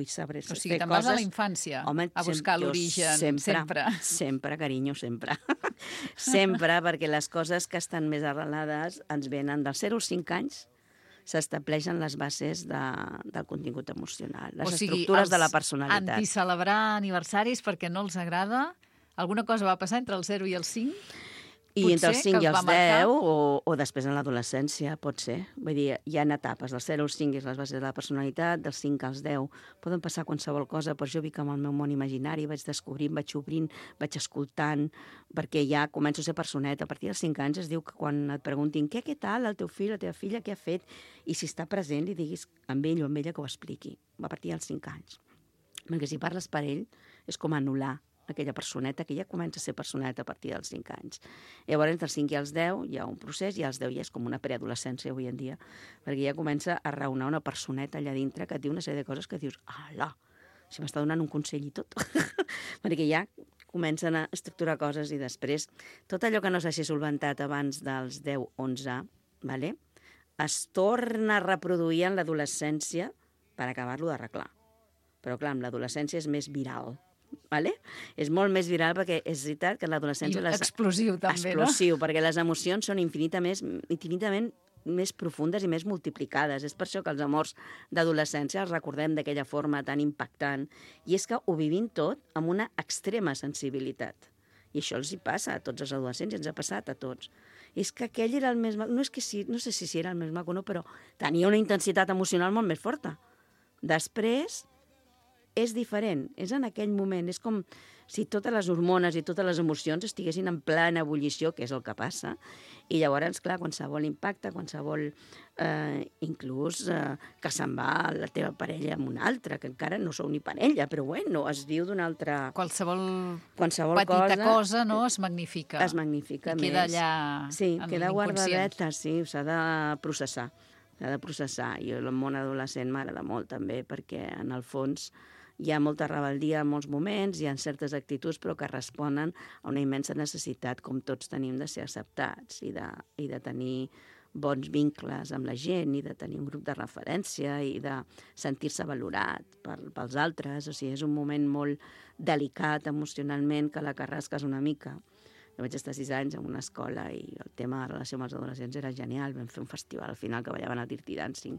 saber fer coses.
O sigui, te'n vas a la infància, a buscar l'origen, sempre.
Sempre, carinyo, sempre. Sempre, perquè les coses que estan més arrelades ens venen dels 0 als 5 anys, s'estableixen les bases del contingut emocional, les estructures de la personalitat.
O sigui, anticelebrar aniversaris perquè no els agrada? Alguna cosa va passar entre el 0 i el 5?
I entre els 5 i els 10, o després en l'adolescència, pot ser. Vull dir, hi ha etapes. Dels 0 als 5 és les bases de la personalitat, dels 5 als 10 poden passar qualsevol cosa, però jo vic amb el meu món imaginari, vaig descobrint, vaig obrint, vaig escoltant, perquè ja començo a ser personeta. A partir dels 5 anys es diu que quan et preguntin què tal, el teu fill, la teva filla, què ha fet, i si està present li diguis amb ell o amb ella que ho expliqui. A partir dels 5 anys. Perquè si parles per ell és com anul·lar aquella personeta, que ja comença a ser personeta a partir dels 5 anys. Llavors, entre els 5 i els 10 hi ha un procés, i als 10 ja és com una preadolescència avui en dia, perquè ja comença a raonar una personeta allà dintre que et diu una sèrie de coses que dius, ala, si m'està donant un consell i tot. Perquè ja comencen a estructurar coses i després tot allò que no s'hagi solventat abans dels 10-11, vale? Es torna a reproduir en l'adolescència per acabar-lo d'arreglar. Però clar, amb l'adolescència és més viral. Vale? És molt més viral perquè és veritat que en l'adolescència...
Explosiu, també, no?
Explosiu, perquè les emocions són infinitament més profundes i més multiplicades. És per això que els amors d'adolescència els recordem d'aquella forma tan impactant. I és que ho vivim tot amb una extrema sensibilitat. I això els hi passa a tots els adolescents, i ens ha passat a tots. És que aquell era el més maco, no sé si era el més maco o no, però tenia una intensitat emocional molt més forta. Després és diferent, és en aquell moment, és com si totes les hormones i totes les emocions estiguessin en plena ebullició, que és el que passa, i llavors, clar, qualsevol impacte, qualsevol, inclús que se'n va la teva parella amb una altra, que encara no sou ni parella, però bueno, es viu d'una altra...
Qualsevol
petita
cosa, no?, es magnifica.
Es magnifica més.
I queda allà
sí,
en
queda
l'inconscient.
guardadeta, sí, s'ha de processar. S'ha de processar. I el món adolescent m'agrada molt, també, perquè, en el fons, hi ha molta rebeldia en molts moments, hi ha certes actituds, però que responen a una immensa necessitat, com tots tenim, de ser acceptats i de tenir bons vincles amb la gent i de tenir un grup de referència i de sentir-se valorat pels altres. O sigui, és un moment molt delicat emocionalment que la carrasques una mica. Jo vaig estar 6 anys en una escola i el tema de relació amb els adolescents era genial. Vam fer un festival al final que ballaven el Dirty Dancing.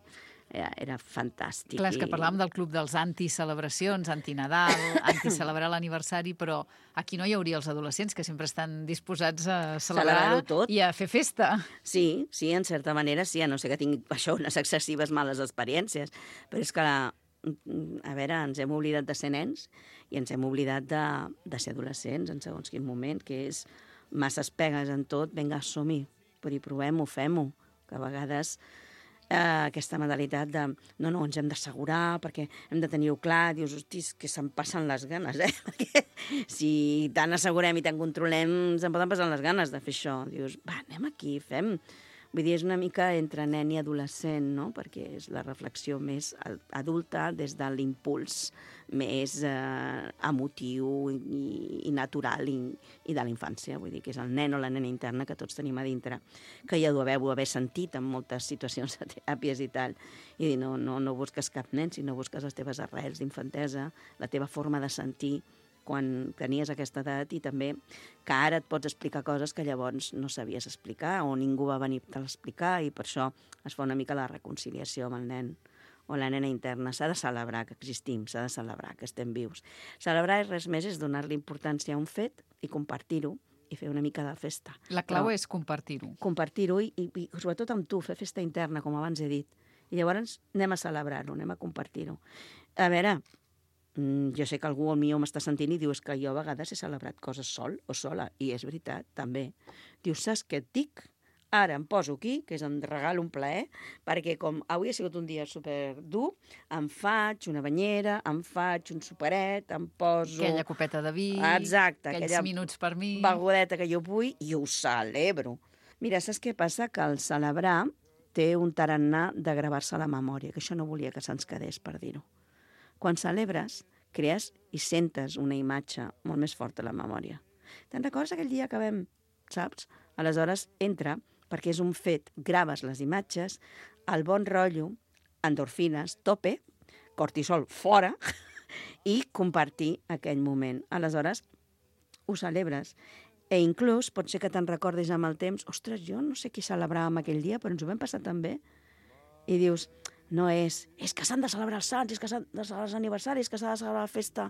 Era fantàstic.
Clar, és que parlàvem del club dels anticelebracions, antinadal, anticelebrar l'aniversari, però aquí no hi hauria els adolescents que sempre estan disposats a celebrar
tot.
I a fer festa.
Sí, en certa manera sí, a no ser que tingui això unes excessives males experiències. Però és que, a veure, ens hem oblidat de ser nens i ens hem oblidat de ser adolescents en segons quin moment, que és masses pegues en tot, vinga, som-hi, però provem-ho, fem-ho, que a vegades aquesta modalitat de no, ens hem d'assegurar perquè hem de tenir-ho clar, dius, hosti, que se'n passen les ganes, perquè si tant assegurem i tant controlem, se'n poden passar les ganes de fer això. Dius, va, anem aquí, fem... Vull dir, és una mica entre nen i adolescent, no?, perquè és la reflexió més adulta des de l'impuls més emotiu i natural i de la infància. Vull dir que és el nen o la nena interna que tots tenim a dintre, que ja ho deveu haver sentit en moltes situacions de teràpies i tal. I dir, no busques cap nen, sinó busques les teves arrels d'infantesa, la teva forma de sentir quan tenies aquesta edat i també que ara et pots explicar coses que llavors no sabies explicar o ningú va venir a explicar i per això es fa una mica la reconciliació amb el nen o la nena interna. S'ha de celebrar que existim, s'ha de celebrar que estem vius. Celebrar res més és donar-li importància a un fet i compartir-ho i fer una mica de festa.
La clau és compartir-ho.
Compartir-ho i sobretot amb tu, fer festa interna, com abans he dit. I llavors anem a celebrar-ho, anem a compartir-ho. A veure, jo sé que algú al millor m'està sentint i diu que jo a vegades he celebrat coses sol o sola, i és veritat, també. Dius, saps què et dic? Ara em poso aquí, que és em regalo un plaer, perquè com avui ha sigut un dia superdur, em faig una banyera, em faig un superet, em poso...
Aquella copeta de vi,
exacte,
aquells minuts per mi...
Begodeta que jo vull i ho celebro. Mira, saps què passa? Que el celebrar té un tarannà de gravar-se a la memòria, que això no volia que se'ns quedés, per dir-ho. Quan celebres, crees i sentes una imatge molt més forta a la memòria. Te'n recordes aquell dia que vam, saps? Aleshores, entra, perquè és un fet, graves les imatges, el bon rotllo, endorfines, tope, cortisol fora, i compartir aquell moment. Aleshores, ho celebres. I inclús pot ser que te'n recordis amb el temps, ostres, jo no sé qui celebràvem aquell dia, però ens ho vam passar tan bé. I dius... No és que s'han de celebrar els sants, és que s'han de celebrar els aniversaris, que s'ha de celebrar la festa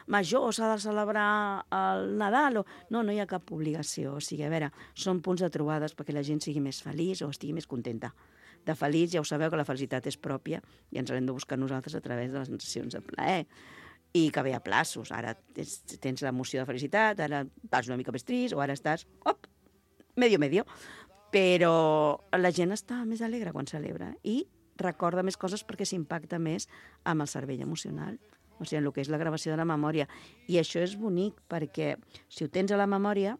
major, s'ha de celebrar el Nadal... No hi ha cap obligació. O sigui, a veure, són punts de trobades perquè la gent sigui més feliç o estigui més contenta. De feliç ja ho sabeu que la felicitat és pròpia i ens l'hem de buscar nosaltres a través de les sensacions de plaer. I que ve a plaços. Ara tens l'emoció de felicitat, ara estàs una mica més trist o ara estàs... medio. Però la gent està més alegre quan celebra i recorda més coses perquè s'impacta més amb el cervell emocional, o sigui, en el que és la gravació de la memòria. I això és bonic perquè si ho tens a la memòria,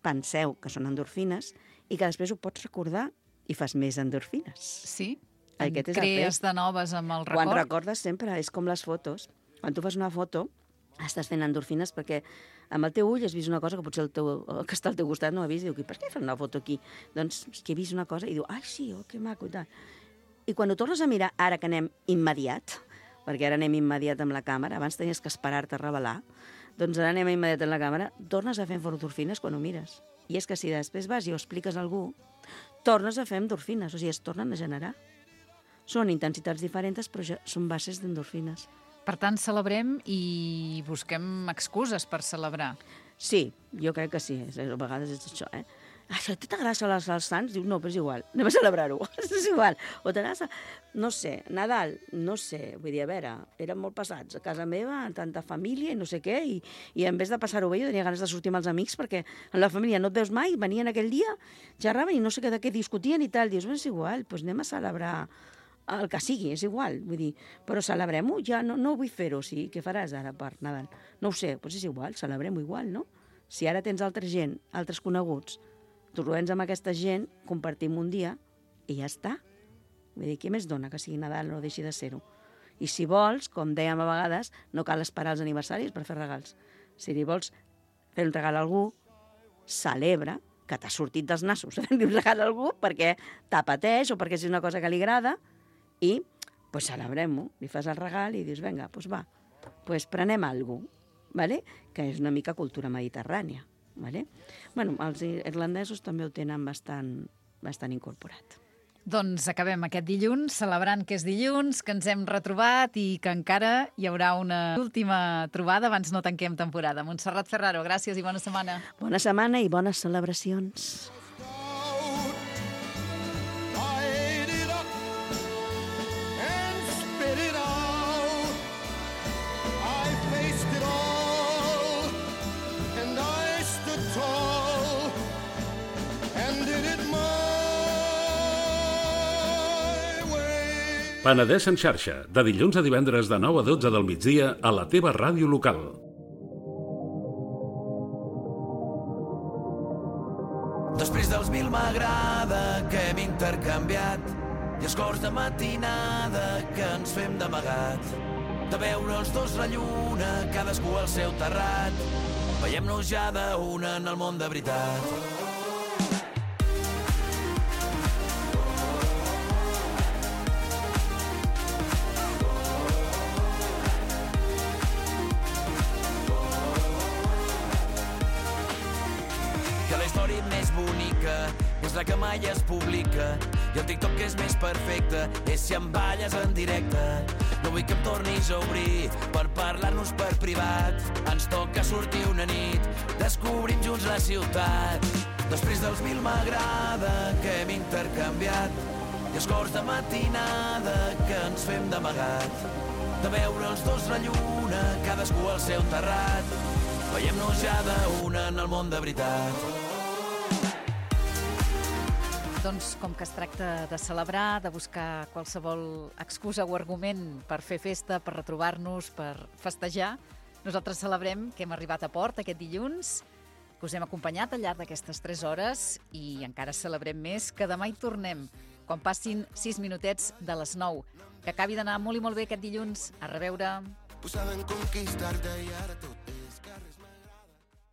penseu que són endorfines i que després ho pots recordar i fas més endorfines.
Sí?
Crees
de noves amb el record?
Quan recordes sempre, és com les fotos. Quan tu fas una foto, estàs fent endorfines perquè amb el teu ull has vist una cosa que potser el que està al teu costat no ha vist i diu, per què fas una foto aquí? Doncs que he vist una cosa i diu, ai sí, que maco i tal. I quan ho tornes a mirar, ara que anem immediat, perquè ara anem immediat amb la càmera, abans tenies que esperar-te a revelar, doncs ara anem immediat amb la càmera, tornes a fer endorfines quan ho mires. I és que si després vas i ho expliques a algú, tornes a fer endorfines, o sigui, es tornen a generar. Són intensitats diferents, però són bases d'endorfines.
Per tant, celebrem i busquem excuses per celebrar.
Sí, jo crec que sí, a vegades és això, això t'agrada celebrar els sants? Dius, no, però és igual, anem a celebrar-ho, és igual. O t'agrada, no sé, Nadal, no sé, vull dir, a veure, eren molt passats a casa meva, tanta família i no sé què, i en vez de passar-ho bé jo tenia ganes de sortir amb els amics perquè en la família no et veus mai, venien aquell dia, xerraven i no sé de què discutien i tal, dius, és igual, doncs anem a celebrar el que sigui, és igual, vull dir, però celebrem-ho, ja no vull fer-ho, sí, què faràs ara per Nadal? No ho sé, doncs és igual, celebrem-ho igual, no? Si ara tens altra gent, altres coneguts, trobem amb aquesta gent, compartim un dia i ja està. Vull dir, què més dona que sigui Nadal o deixi de ser-ho? I si vols, com dèiem a vegades, no cal esperar els aniversaris per fer regals. Si li vols fer un regal a algú, celebra que t'ha sortit dels nassos fer-li un regal a algú perquè t'apeteix o perquè és una cosa que li agrada i pues, celebrem-ho. Li fas el regal i dius, vinga, doncs va, pues prenem alguna cosa, ¿vale? Que és una mica cultura mediterrània. Vale? Bueno, els irlandesos també ho tenen bastant incorporat.
Doncs acabem aquest dilluns celebrant que és dilluns, que ens hem retrobat i que encara hi haurà una última trobada abans no tanquem temporada. Montserrat Ferraro, gràcies i bona setmana.
Bona setmana i bones celebracions.
Penedès en xarxa, de dilluns a divendres de 9 a 12 del migdia a la teva ràdio local.
Després dels 1000 m'agrada que hem intercanviat i els cors de matinada que ens fem d'amagat. De veure els dos la lluna, cadascú al seu terrat. Veiem-nos ja d'una en el món de veritat. És la que mai es publica i el TikTok que és més perfecte és si em balles en directe. No vull que em tornis a obrir per parlar-nos per privat. Ens toca sortir una nit, descobrim junts la ciutat. Després dels 1000 m'agrada que hem intercanviat i els cors de matinada que ens fem d'amagat. De veure els dos la lluna, cadascú al seu terrat. Veiem-nos ja d'una en el món de veritat.
Doncs com que es tracta de celebrar, de buscar qualsevol excusa o argument per fer festa, per retrobar-nos, per festejar, nosaltres celebrem que hem arribat a port aquest dilluns, que us hem acompanyat al llarg d'aquestes 3 hores i encara celebrem més que demà hi tornem, quan passin 6 minutets de les 9. Que acabi d'anar molt i molt bé aquest dilluns. A reveure.
Posada en conquistar-te i ara tot